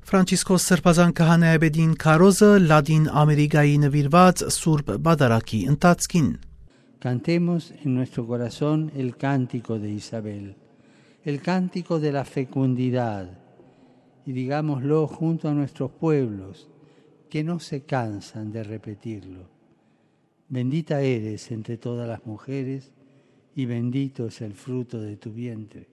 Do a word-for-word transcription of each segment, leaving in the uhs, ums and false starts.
Ֆրանցիսկոս Սրբազան Քահանայապետին քարոզը Լատին Ամերիկայի նուիրուած Սուրբ Պատարագի ընթացքին։ Cantemos en nuestro corazón el cántico de Isabel, el cántico de la fecundidad, y digámoslo junto a nuestros pueblos, que no se cansan de repetirlo. Bendita eres entre todas las mujeres, y bendito es el fruto de tu vientre,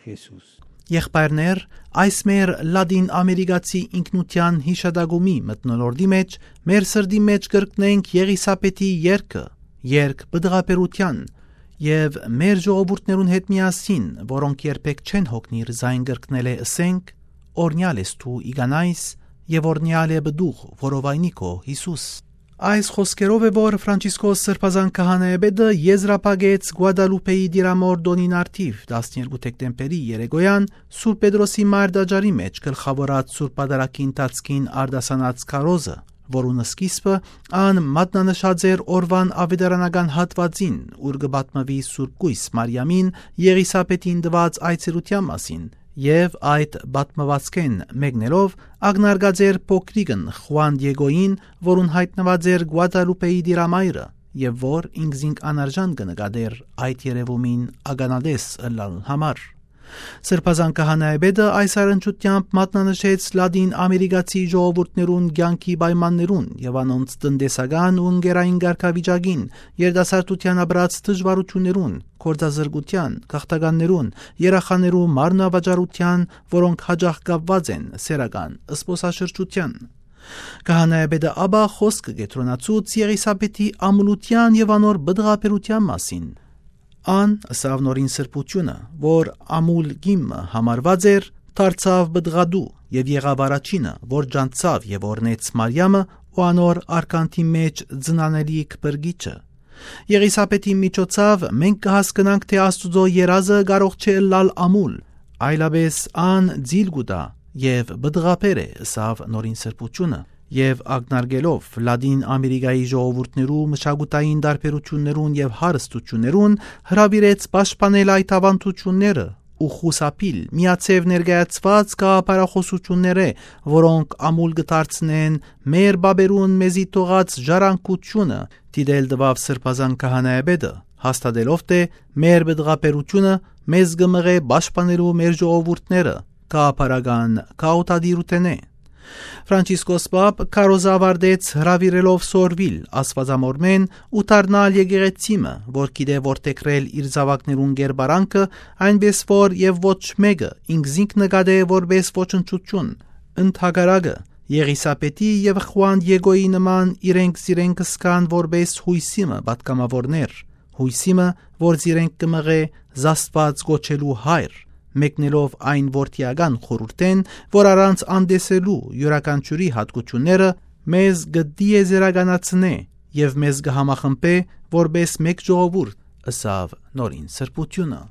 Jesús. Եղբայրներ, այս մեր Լատին Ամերիկացի ինքնութեան յիշատակումի մթնոլորտի մէջ, մեր սրտի մէջ կրկնենք Եղիսաբեթի երգը, երգ պտղաբերութեան, եւ մեր ժողովուրդներուն հետ միասին, որոնք երբեք չեն հոգնիր զայն կրկնելէ, ըսենք. «Օրնեալ ես դու իկանայս, եւ օրնեալ է պտուղ, որովայնի քո Յիսուս»։ Այս խոսքերով է, որ Ֆրանցիսկոս Սրբազան Քահանայապետը եզրափակեց Գուադալուպեի Տիրամոր տօնին առթիվ, տասներկու դեկտեմբերի երեկոյան, Սուրբ Պետրոսի Մայր տաճարի մէջ գլխաւորած Սուրբ Պատարագի ընթացքին արտասանած քարոզը, որուն սկիզբը ան մատնանշած էր օրուան աւետարանական հատուածին, ուր կը պատմուի Սուրբ Կոյս Մարիամին Եղիսաբեթին տուած այցելութեան մասին, եւ այդ պատմուածքէն մեկնելով ակնարկած էր փոքրիկն Խուան Դիեգոյին, որուն յայտնուած էր Գուադալուպեի Տիրամայրը, եւ որ ինքզինք անարժան կը նկատէր այդ երեւումին ականատես ըլլալուն համար։ Սրբազան Քահանայապետը այս առնչությամբ մատնանշեց Լատին Ամերիկացի ժողովուրդներուն կեանքի պայմաններուն եւ անոնց տնտեսական ու ընկերային կարգավիճակին, երիտասարդութեան ապրած դժուարութիւններուն, գործազրկութեան, գաղթականներուն, երախաներու մարմնավաճառութեան, որոնք յաճախ կապուած են սեռական զբօսաշրջութեան։ Քահանայապետը ապա խօսքը կեդրոնացուց Եղիսաբեթի ամուլութեան եւ անոր պտղաբերութեան մասին։ Ան, ըսաւ Նորին Սրբութիւնը, որ ամուլ կին մը համարուած էր, դարձաւ պտղատու եւ եղաւ առաջինը, որ ճանչցաւ եւ օրհնեց Մարիամը ու անոր արկանդի մէջ ծնանելիք փրկիչը։ Եղիսաբեթին միջոցաւ մենք կը հասկնանք, թէ Աստուծոյ երազը կարող չէ ըլլալ ամուլ, այլապէս ան ձիլ կու տայ եւ պտղաբեր է, ըսաւ Նորին Սրբութիւնը, եւ ակնարկելով Լատին Ամերիկայի ժողովուրդներու մշակութային տարբերութիւններուն եւ հարստութիւններուն, հրաւիրեց պաշտպանել այդ աւանդութիւնները ու խուսափիլ միաձեւ ներկայացուած գաղափարախօսութիւններէ, որոնք ամուլ կը դարձնեն մեր պապերուն մեզի թողած ժառանգութիւնը, դիտել տուաւ Սրբազան Քահանայապետը, հաստատելով թէ մեր պտղաբերութիւնը մեզ կը մղէ պաշտպանելու մեր ժողովուրդները գաղափարական քաոթատիրութենէ։ Ֆրանցիսկոս Պապ քարոզը աւարտեց հրաւիրելով սորվիլ Աստուածամորմէն ու դառնալ եկեղեցի մը, որ գիտէ որդեգրել իր զաւակներուն կերպարանքը, այնպէս որ եւ ոչ մէկը ինքզինք նկատէ որպէս ոչնչութիւն։ Ընդհակառակը, Եղիսաբեթի եւ Խուան Դիեգոյի նման իրենք զիրենք կ'զգան որպէս յոյսի մը պատգամաւորներ, յոյսի մը, որ զիրենք կը մղէ զաստուած կոչելու հայր, մեկնելով այն որդիական խորհուրդէն, որ առանց անտեսելու իւրաքանչիւրի յատկութիւնները մեզ կը տիեզերականացնէ եւ մեզ կը համախմբէ որպէս մէկ ժողովուրդ, ըսաւ Նորին Սրբութիւնը։